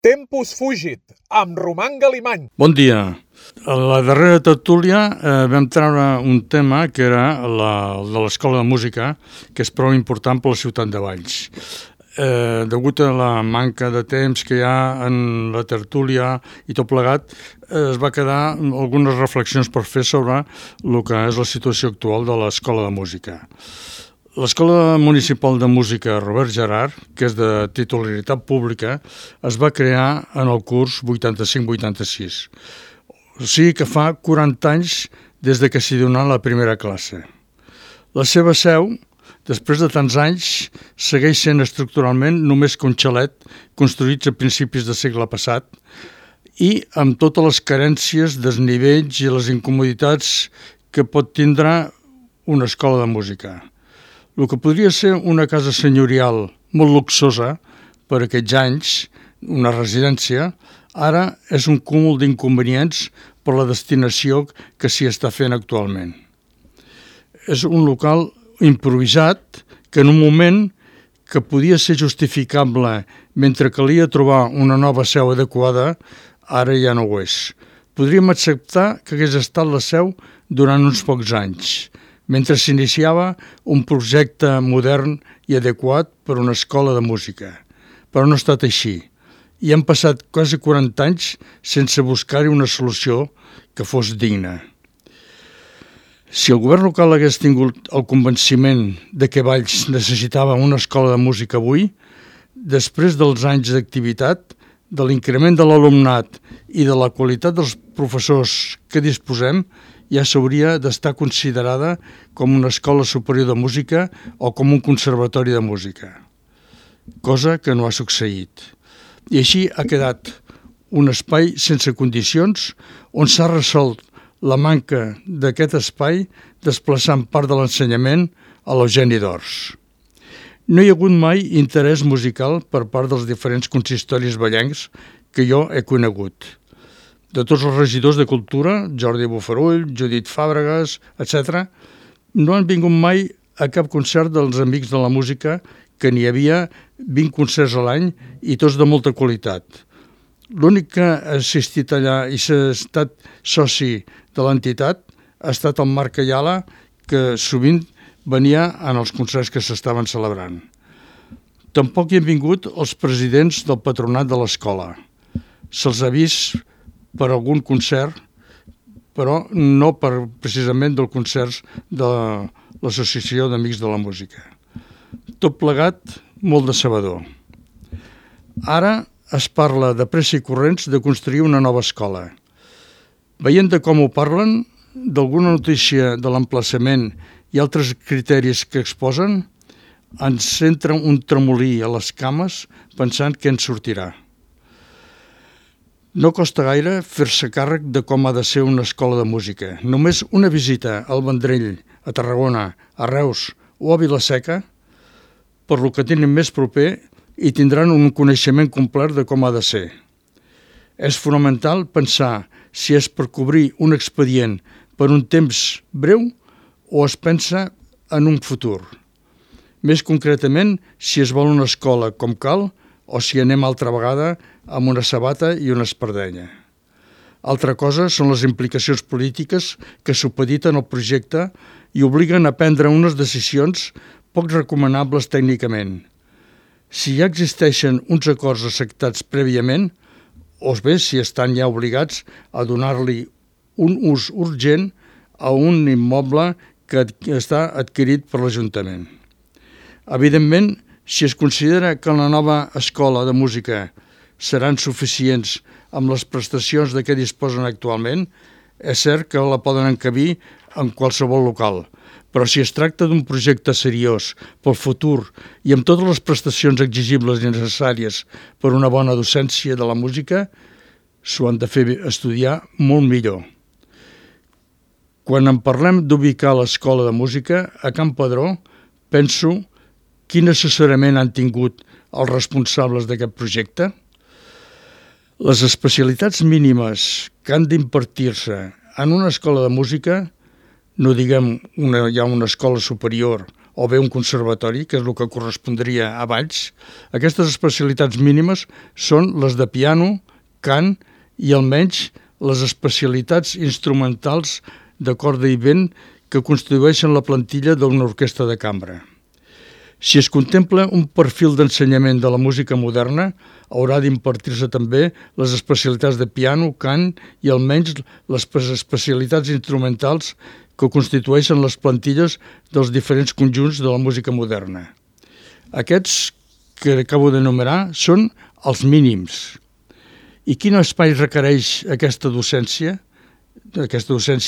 Tempus Fugit, amb Roman Galimany. Bon dia. A la darrera tertúlia vam treure un tema que era de l'Escola de Música, que és prou important per la ciutat de Valls. Degut a la manca de temps que hi ha en la tertúlia i tot plegat, es va quedar algunes reflexions per fer sobre el que és la situació actual de l'Escola de Música. L'Escola Municipal de Música Robert Gerhard, que és de titularitat pública, es va crear en el curs 85-86. O sigui que fa 40 anys des de que s'hi donà la primera classe. La seva seu, després de tants anys, segueix sent estructuralment només que un xalet construïts a principis del segle passat i amb totes les carències, desnivells i les incomoditats que pot tindre una escola de música. El que podria ser una casa senyorial molt luxosa per aquests anys, una residència, ara és un cúmul d'inconvenients per la destinació que s'hi està fent actualment. És un local improvisat que en un moment que podia ser justificable mentre calia trobar una nova seu adequada, ara ja no ho és. Podríem acceptar que hagués estat la seu durant uns pocs anys, mentre s'iniciava un projecte modern i adequat per a una escola de música. Però no ha estat així. I han passat quasi 40 anys sense buscar-hi una solució que fos digna. Si el govern local hagués tingut el convenciment de que Valls necessitava una escola de música avui, després dels anys d'activitat, de l'increment de l'alumnat i de la qualitat dels professors que disposem, ja s'hauria d'estar considerada com una escola superior de música o com un conservatori de música, cosa que no ha succeït. I així ha quedat un espai sense condicions on s'ha resolt la manca d'aquest espai desplaçant part de l'ensenyament a l'Eugeni d'Ors. No hi ha hagut mai interès musical per part dels diferents consistoris vallencs que jo he conegut. De tots els regidors de cultura, Jordi Bofarull, Judit Fàbregas, etc., no han vingut mai a cap concert dels Amics de la Música, que n'hi havia 20 concerts a l'any i tots de molta qualitat. L'únic que ha assistit allà i s'ha estat soci de l'entitat ha estat el Marc Ayala, que sovint venia en els concerts que s'estaven celebrant. Tampoc hi han vingut els presidents del patronat de l'escola. Se'ls ha vist per algun concert, però no precisament dels concerts de l'Associació d'Amics de la Música. Tot plegat, molt decebedor. Ara es parla de pressa i corrents de construir una nova escola. Veient de com ho parlen, d'alguna notícia de l'emplaçament i altres criteris que exposen, ens entra un tremolí a les cames pensant què en sortirà. No costa gaire fer-se càrrec de com ha de ser una escola de música. Només una visita al Vendrell, a Tarragona, a Reus o a Vila-seca, per lo que tenen més proper, i tindran un coneixement complet de com ha de ser. És fonamental pensar si és per cobrir un expedient per un temps breu o es pensa en un futur. Més concretament, si es vol una escola com cal o si anem altra vegada amb una sabata i una espardenya. Altra cosa són les implicacions polítiques que supediten el projecte i obliguen a prendre unes decisions poc recomanables tècnicament. Si ja existeixen uns acords acceptats prèviament, o bé si estan ja obligats a donar-li un ús urgent a un immoble que està adquirit per l'Ajuntament. Evidentment, si es considera que la nova escola de música seran suficients amb les prestacions de què disposen actualment, és cert que la poden encabir en qualsevol local, però si es tracta d'un projecte seriós pel futur i amb totes les prestacions exigibles i necessàries per una bona docència de la música, s'ho han de fer estudiar molt millor. Quan en parlem d'ubicar l'escola de música a Can Padró, penso quin assessorament han tingut els responsables d'aquest projecte. Les especialitats mínimes que han d'impartir-se en una escola de música, no diguem ja una escola superior o bé un conservatori, que és el que correspondria a Valls. Aquestes especialitats mínimes són les de piano, cant i almenys les especialitats instrumentals de corda i vent que constitueixen la plantilla d'una orquestra de cambra. Si es contempla un perfil d'ensenyament de la música moderna, haurà d'impartir-se també les especialitats de piano, cant i almenys les especialitats instrumentals que constitueixen les plantilles dels diferents conjunts de la música moderna. Aquests que acabo d'enumerar són els mínims. I quin espai requereix aquesta docència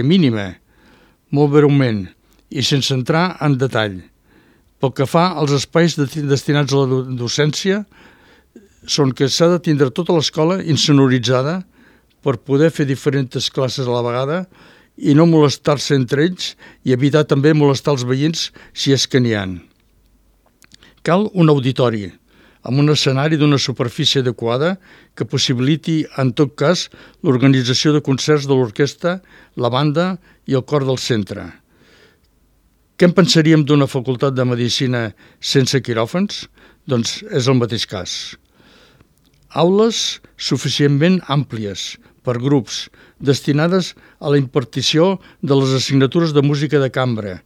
mínima? Molt breument i sense entrar en detall. Pel que fa als espais destinats a la docència, són que s'ha de tindre tota l'escola insonoritzada per poder fer diferents classes a la vegada i no molestar-se entre ells i evitar també molestar els veïns si és que n'hi ha. Cal un auditori amb un escenari d'una superfície adequada que possibiliti, en tot cas, l'organització de concerts de l'orquestra, la banda i el cor del centre. Què en pensaríem d'una facultat de medicina sense quiròfans? Doncs és el mateix cas. Aules suficientment àmplies, per grups, destinades a la impartició de les assignatures de música de cambra,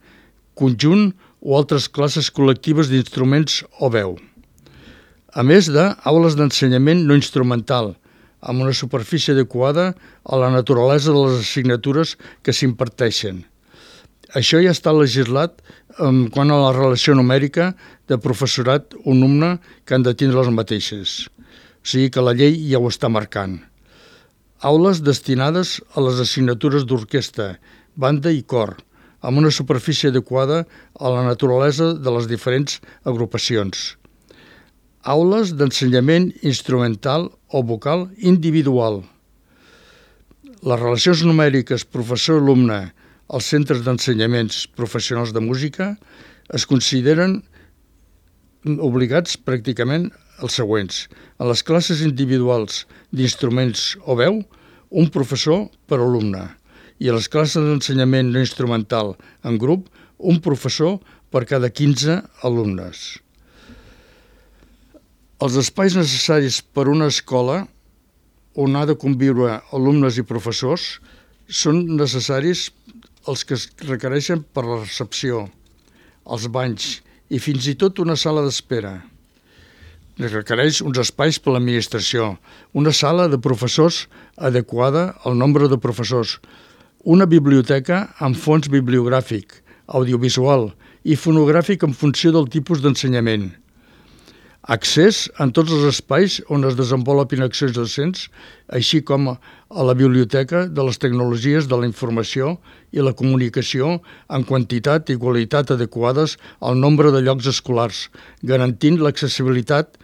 conjunt o altres classes col·lectives d'instruments o veu. A més d'aules d'ensenyament no instrumental, amb una superfície adequada a la naturalesa de les assignatures que s'imparteixen. Això ja està legislat quant a la relació numèrica de professorat-alumne que han de tindre les mateixes. O sigui que la llei ja ho està marcant. Aules destinades a les assignatures d'orquestra, banda i cor, amb una superfície adequada a la naturalesa de les diferents agrupacions. Aules d'ensenyament instrumental o vocal individual. Les relacions numèriques professor-alumne als centres d'ensenyaments professionals de música es consideren obligats pràcticament els següents. En les classes individuals d'instruments o veu, un professor per alumne. I a les classes d'ensenyament no instrumental en grup, un professor per cada 15 alumnes. Els espais necessaris per a una escola on ha de conviure alumnes i professors són necessaris els que es requereixen per la recepció, els banys i fins i tot una sala d'espera. Es requereix uns espais per a l'administració, una sala de professors adequada al nombre de professors, una biblioteca amb fons bibliogràfic, audiovisual i fonogràfic en funció del tipus d'ensenyament. Accés en tots els espais on es desenvolupin accions docents, així com a la biblioteca de les tecnologies de la informació i la comunicació en quantitat i qualitat adequades al nombre de llocs escolars, garantint l'accessibilitat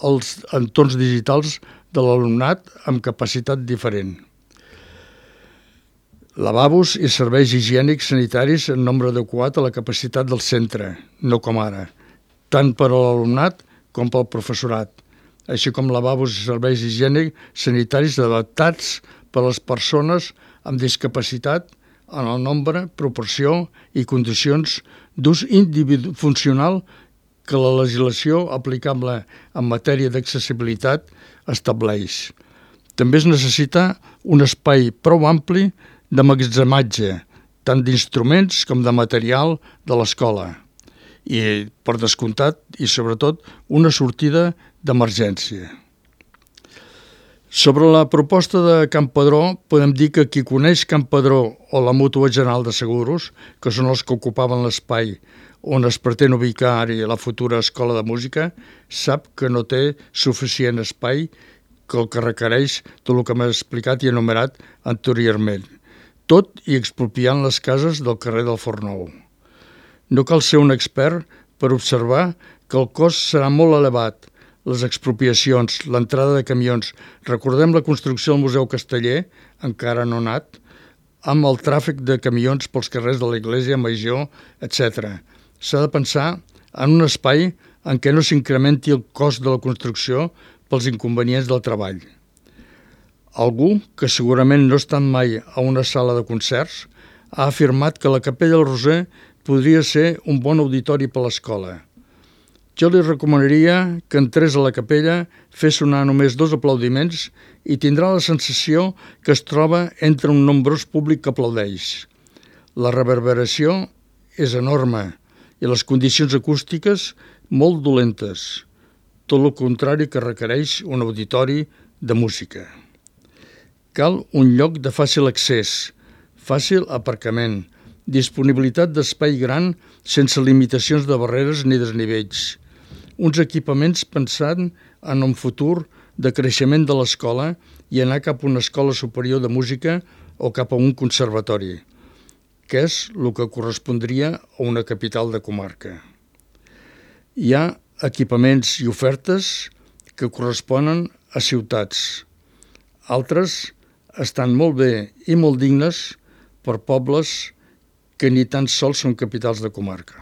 als entorns digitals de l'alumnat amb capacitat diferent. Lavabos i serveis higiènics sanitaris en nombre adequat a la capacitat del centre, no com ara, tant per a l'alumnat com pel professorat, així com lavabos i serveis higiènics sanitaris adaptats per a les persones amb discapacitat en el nombre, proporció i condicions d'ús funcional que la legislació aplicable en matèria d'accessibilitat estableix. També es necessita un espai prou ampli d'emmagatzematge, tant d'instruments com de material de l'escola. I, per descomptat, i sobretot, una sortida d'emergència. Sobre la proposta de Can Padró, podem dir que qui coneix Can Padró o la Mútua General de Seguros, que són els que ocupaven l'espai on es pretén ubicar ara la futura escola de música, sap que no té suficient espai que el que requereix tot el que m'ha explicat i enumerat anteriorment, tot i expropiant les cases del carrer del Forn Nou. No cal ser un expert per observar que el cost serà molt elevat, les expropiacions, l'entrada de camions. Recordem la construcció del Museu Casteller, encara no nat, amb el tràfic de camions pels carrers de l'Església Major, etc. S'ha de pensar en un espai en què no s'incrementi el cost de la construcció pels inconvenients del treball. Algú, que segurament no ha estat mai a una sala de concerts, ha afirmat que la Capella del Roser podria ser un bon auditori per l'escola. Jo li recomanaria que entrés a la capella, fes sonar només 2 aplaudiments i tindrà la sensació que es troba entre un nombrós públic que aplaudeix. La reverberació és enorme i les condicions acústiques molt dolentes, tot el contrari que requereix un auditori de música. Cal un lloc de fàcil accés, fàcil aparcament, disponibilitat d'espai gran sense limitacions de barreres ni desnivells, uns equipaments pensant en un futur de creixement de l'escola i anar cap a una escola superior de música o cap a un conservatori, que és el que correspondria a una capital de comarca. Hi ha equipaments i ofertes que corresponen a ciutats. Altres estan molt bé i molt dignes per pobles que ni tan sols són capitals de comarca.